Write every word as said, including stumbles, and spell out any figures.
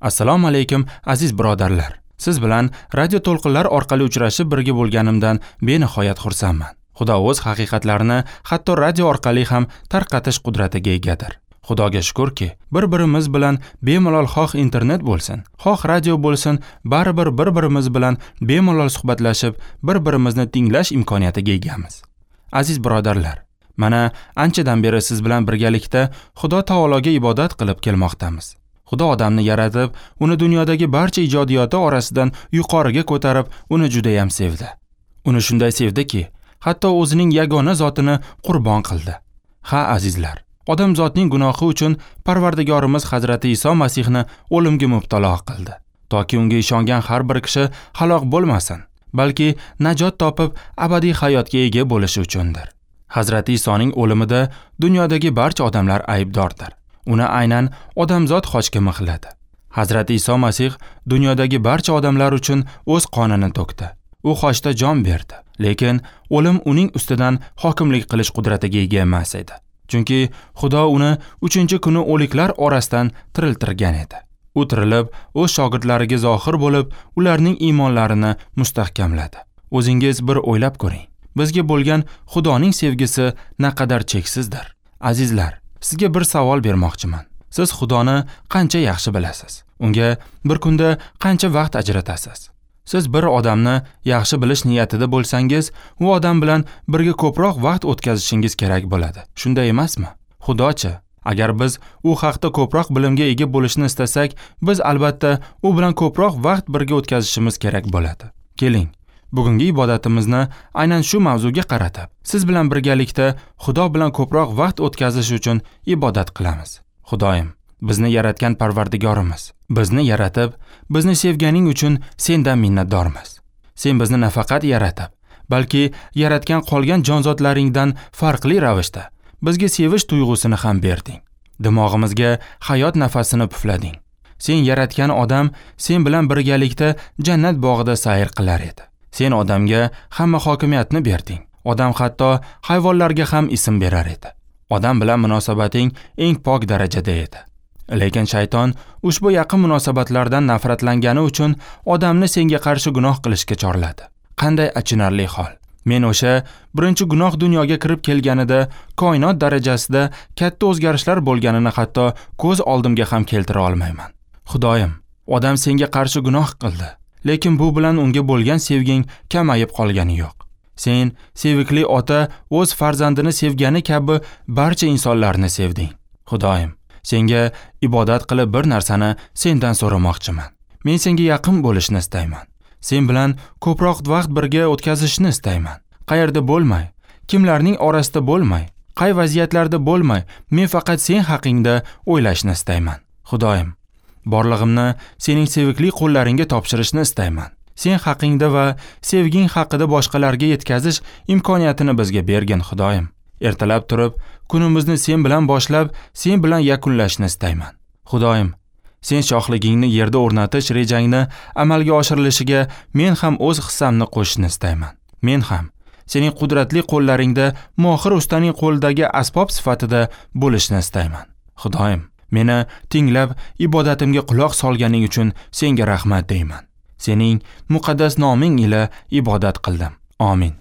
Assalomu alaykum aziz birodarlar. Siz bilan radio to'lqinlar orqali uchrashib birga bo'lganimdan benihoyat xursandman. Xudo o'z haqiqatlarini hatto radio orqali ham tarqatish qudratiga egadir. Xudoga shukurki, bir-birimiz bilan bemalol xoh internet bo'lsin, xoh radio bo'lsin, baribir bir-birimiz bilan bemalol suhbatlashib, bir-birimizni tinglash imkoniyatiga egamiz. Aziz birodarlar, mana anchadan beri siz bilan birgalikda Xudo taologa ibodat qilib kelmoqdamiz. Xudo odamni yaratib, uni dunyodagi barcha ijodiyoti orasidan yuqoriga ko'tarib, uni juda ham sevdi. Uni shunday sevdiki, hatto o'zining yagona zotini qurbon qildi. Ha, azizlar, odamzotning gunohi uchun Parvardigorimiz Hazrati Iso Masihni o'limga mubtalo qildi, toki unga ishongan har bir kishi halok bo'lmasin, balki najot topib abadiy hayotga ega bo'lishi uchundir. Hazrati Isoning o'limida dunyodagi barcha odamlar aybdordir. Uni aynan odamzot xochga mixladi. Hazrati Iso Masih dunyodagi barcha odamlar uchun o'z qonini to'kdi. U xochda jon berdi, lekin o'lim uning ustidan hokimlik qilish qudratiga ega emas edi. Chunki Xudo uni uchinchi kuni o'liklar orasidan tiriltirgan edi. U tirilib, o'z shogirdlariga zohir bo'lib, ularning iymonlarini mustahkamladi. O'zingiz bir o'ylab ko'ring. Bizga bo'lgan Xudoning sevgisi naqadar cheksizdir. Azizlar, sizga bir savol bermoqchiman. Siz Xudoni qancha yaxshi bilasiz? Unga bir kunda qancha vaqt ajratasiz? Siz bir odamni yaxshi bilish niyatida bo'lsangiz, u odam bilan birga ko'proq vaqt o'tkazishingiz kerak bo'ladi. Shunday emasmi? Xudochi, agar biz u haqda ko'proq bilimga ega bo'lishni istasak, biz albatta u bilan ko'proq vaqt birga o'tkazishimiz kerak bo'ladi. Keling, bugungi ibodatimizni aynan shu mavzuga qaratib, siz bilan birgalikda Xudo bilan ko'proq vaqt o'tkazish uchun ibodat qilamiz. Xudoyim, bizni yaratgan Parvardigorimiz, bizni yaratib, bizni sevganing uchun sendan minnatdormiz. Sen bizni nafaqat yaratib, balki yaratgan qolgan jonzotlaringdan farqli ravishda bizga sevish tuyg'usini ham berding. Dimog'imizga hayot nafasini puflading. Sen yaratgan odam sen bilan birgalikda jannat bog'ida sayr qilar edi. Sen odamga hamma hokimiyatni berding. Odam hatto hayvonlarga ham ism berar edi. Odam bilan munosabating eng pok darajada edi. Lekin shayton ushbu yaqin munosabatlardan nafratlangani uchun odamni senga qarshi gunoh qilishga chorladi. Qanday achinarli hol. Men o'sha birinchi gunoh dunyoga kirib kelganida koinot darajasida katta o'zgarishlar bo'lganini hatto ko'z oldimga ham keltira olmayman. Xudoyim, odam senga qarshi gunoh qildi, lekin bu bilan unga bo'lgan sevging kamayib qolgani yo'q. Sen sevikli ota o'z farzandini sevgani kabi barcha insonlarni sevding. Xudoyim, senga ibodat qilib bir narsani sendan so'ramoqchiman. Men senga yaqin bo'lishni istayman. Sen bilan ko'proq vaqt birga o'tkazishni istayman. Qayerda bo'lmay, kimlarning orasida bo'lmay, qay vaziyatlarda bo'lmay, men faqat sen haqingda o'ylashni istayman. Xudoyim, borlig'imni sening sevikli qo'llaringga topshirishni istayman. Sen haqingda va sevging haqida boshqalarga yetkazish imkoniyatini bizga bergin, Xudoyim. Ertalab turib, kunimizni sen bilan boshlab, sen bilan yakunlashni istayman. Xudoyim, sen shohligingni yerda o'rnatish rejangni amalga oshirilishiga men ham o'z hissamni qo'shishni istayman. Men ham sening qudratli qo'llaringda mohir ustaning qo'lidagi asbob sifatida bo'lishni istayman. Xudoyim, meni tinglab ibodatimga quloq solganing uchun senga rahmat deyman. Sening muqaddas noming ila ibodat qildim. Amin.